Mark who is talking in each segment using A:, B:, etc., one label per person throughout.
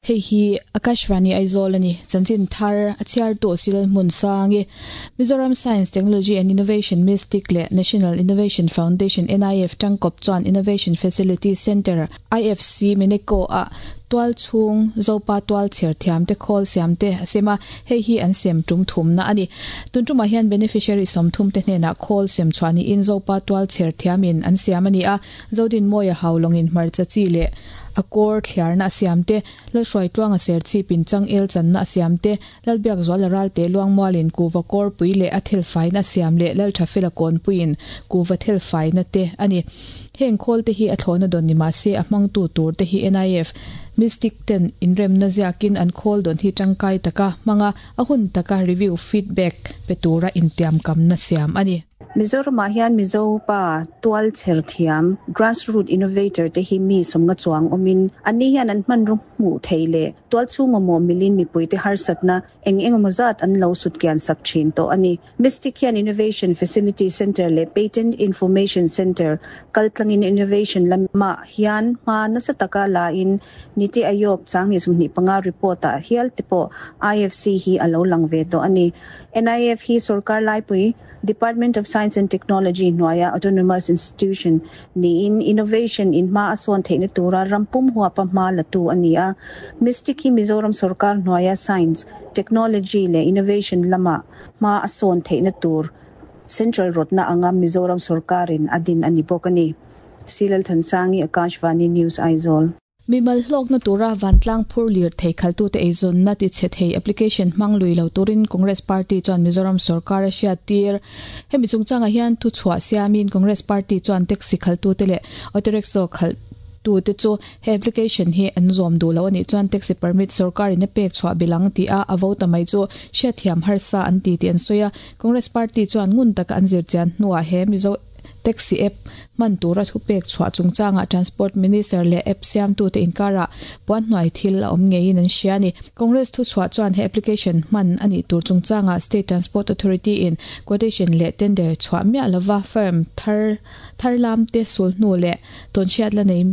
A: Hei hi Akashvani Aizawl a ni. Chanchin thar a chhiartu Silal Hmunsangi, Mizoram Science, Technology and Innovation Mystic leh National Innovation Foundation, NIF, tangkawp chuan Innovation Facility Centre, IFC, Meneko ah tual chhung Zopa tual chher thiam te khawl siam te a sem a, hei hi an sem tum thumna a ni. Tun tumah hian beneficiary 30 te hnenah khawl sem chhuah niin Zopa tual chher thiamin an siam a ni a, Zodinmawia haulawngin hmarcha chi leh a kawr thliarna a siam te, Lalhruaitluanga serchhipin changel channa a siam te, Lalbiakzuala ralte Luangmualin kuva kawrpui leh a thelfaina a siam leh Lalthafela kawnpuiin kuva thelfaina te a ni. Heng khawl te hi a thlawhna dawn ni mah se a hmangtu tur te hi NIF, Mystic ten inremna ziakin an khawl dawn hi tangkai taka hmanga a hun taka review feedback pe tura intiamkamna siam a ni.
B: Mizoramah hian Mizo pa tual chher thiam, grassroot innovator, te hi mi sawmnga chuang awmin anni hian an hmanraw hmuh theih leh tual chhung awmawh milin mipuite harsatna eng engemaw zat an lo sut kian sak thin tawh a ni. Mystic hian Innovation Facility Centre leh Patent Information Centre kaltlangin innovation lamah hian hma nasa taka la in Niti Aayog changhnih 25 report ah hial te pawh IFC hi a lo lang ve tawh a ni. NIF hi sorkar laipui Department of Science and Technology hnuaia autonomous institution niin innovation in hma a sawn theihna tura ram pum huapa hma la tu a ni a. Mystic hi Mizoram sorkar hnuaia science, technology leh innovation lama hma a sawn theihna tur central rawtna anga Mizoram sorkarin a din a ni bawk a ni. Silalthansangi, Akashvani News, Aizawl.
A: Mimal hlawkna tura vantlang phur lir thei khaltute eizawnna tichhe thei application hmang lui lo turin Congress Party chuan Mizoram sorkar a hriattir. Hemi chungchangah hian thuchhuah siamin Congress Party chuan taxi khaltute leh auto rickshaw khalhtute chu he application hi an zawm duh lo a nih chuan taxi permit sorkarin a pek chhuah bil ang tih a a vo ta mai chu hriatthiam harsa an ti tih an sawi a. Congress Party chuan ngun taka an zirchian hnuah he Mizo Taxi app hman tura thupek chhuah chungchangah Transport Minister leh app siamtute inkarah puanhnuai thil a awm ngeiin an hria a ni. Congress thuchhuah chuan he application hman a nih tur chungchangah State Transport Authority in quotation leh tender chhuah miah lova firm thar thar lamte sulhnu leh tawnhriat la nei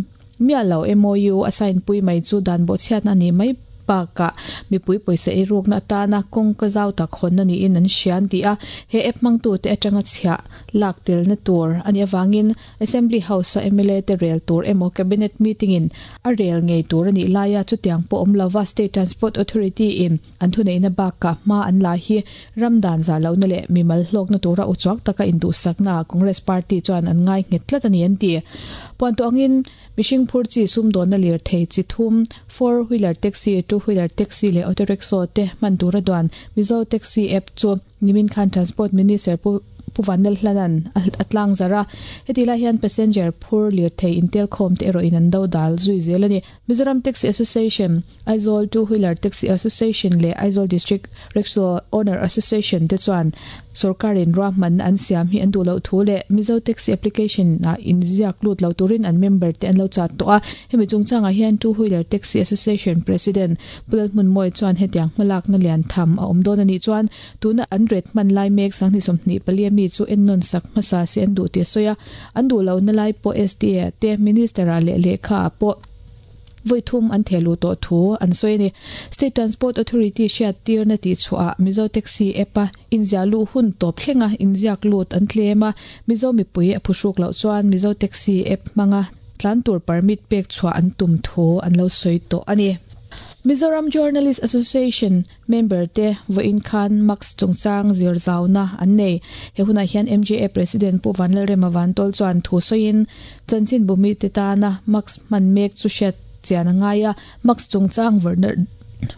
A: miah lo MOU a sign pui mai chu dan bawhchhiatna a nih mai bakah mipui pawisa eirukna atana kawngka zau tak hawnna niin an hria an ti a, he app hmangtute atanga chhiah lak telna tur a nih avangin Assembly House-a mla te rel tur emaw Cabinet meeting-in a rel ngei tur a nih laia chutiang pawh awm lova State Transport Authority-in an thuneihna bakah hma an la hi ram dan zah lohna leh mimal hlawkna tura uchuak taka induhsaknaah Congress Party chuan an ngai nghet tlat a ni an ti. Puantuah angin mihring phur chi sumdawnna lirthei chi thum, four wheeler taxi, two wheeler taxi leh auto rickshaw te hman tura duan Mizo Taxi app chu Nimin khan Transport Minister Pu Pu Vanlalhlanan a tlang zarh a, heti lai hian passenger phur lirthei intelkhawm te erawhin an do dal zui zel a ni. Mizoram Taxi Association, Aizawl Two Wheeler Taxi Association leh Aizawl District Rickshaw Owner Association te chuan sorkarin ruahmanna an siam hi an duh loh thu leh Mizo Taxi Application ah inziak lut lo turin an member te an lo chat tawh a. Hemi chungchangah hian Two Wheeler Taxi Association President Pu Lalhmunmawia chuan hetiang hmalakna lian tham a awm dawn a nih chuan tuna an ret hman lai mek 2024 mi chu ennawn sak hmasa se an duh tih a sawi a, an duh lohna lai pawh SDA te Minister ah leh lehkha ah pawh vawi thum an theh luh tawh thu an sawi a ni. State Transport Authority hriat tirna tih chhuah ah Mizo Taxi app a inziah luh hun tawp thlenga inziak lut an tlem a, Mizo mipui a phuhruk loh chuan Mizo Taxi app hmanga tlan tur permit pek chhuah an tum thu an lo sawi tawh a ni. Mizoram Journalist Association member te vawiin khan Max chungchang zir zauna an nei. He hunah hian MJA President Pu Vanlalrema Vantawl chuan thu sawiin chanchinbu mite tana Max hman mek chu hriat chian a ngai a, Max chungchang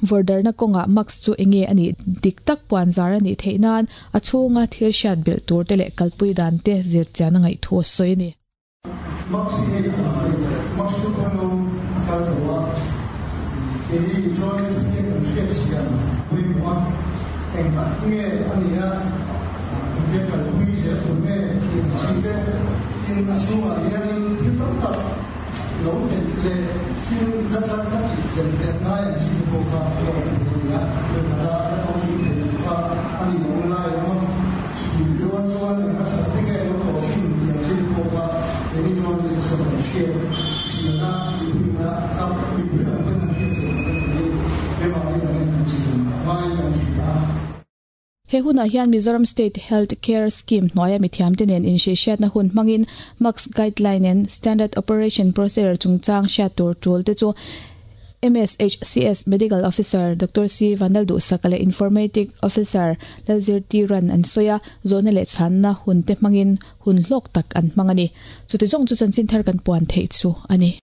A: vawrdarna kawngah Max chu enge a nih dik tak puan zar a nih theih nan a chhunga thil hriat belh tur te leh kalpui dan te zir chian a ngaih thu a sawi a ni.
C: Max hi hei a hei Max chu kawng a kal tho a, keini journalist te kan hriat chian pawimawh a, eng tak nge a nih a, engtia kalpui zel tur nge tih ang chi te, tin a chhungah hianin thil tam tak lo neih leh thil la tlat la tih fel leh ngai ang chi te pawh kha a lo awm thei a ni a, khat a la famkim thei lo kha a ni lo lai awm a. Chhun rual chuan eng harsat te nge lo tawh thin tih ang chi te pawh kha keini chuan business chuan kan hriat chian a, mipuina a mipui ang pawn kan hriat chian ang a ni.
A: He hunah hian Mizoram State Health Care Scheme hnuaia mithiamte nen inhrilhhriatna hun hmangin MACS Guideline and Standard Operation Procedure chungchang hriat tur tul te chu MSHCS Medical Officer Doctor C Vanlalduhsaka leh Informatic Officer Lalzirtiran an sawi a, zawhna leh chhanna hun te hmangin hun hlawk tak an hmang a ni. Chuti zawng chu chanchin thar kan puan theih chu a ni.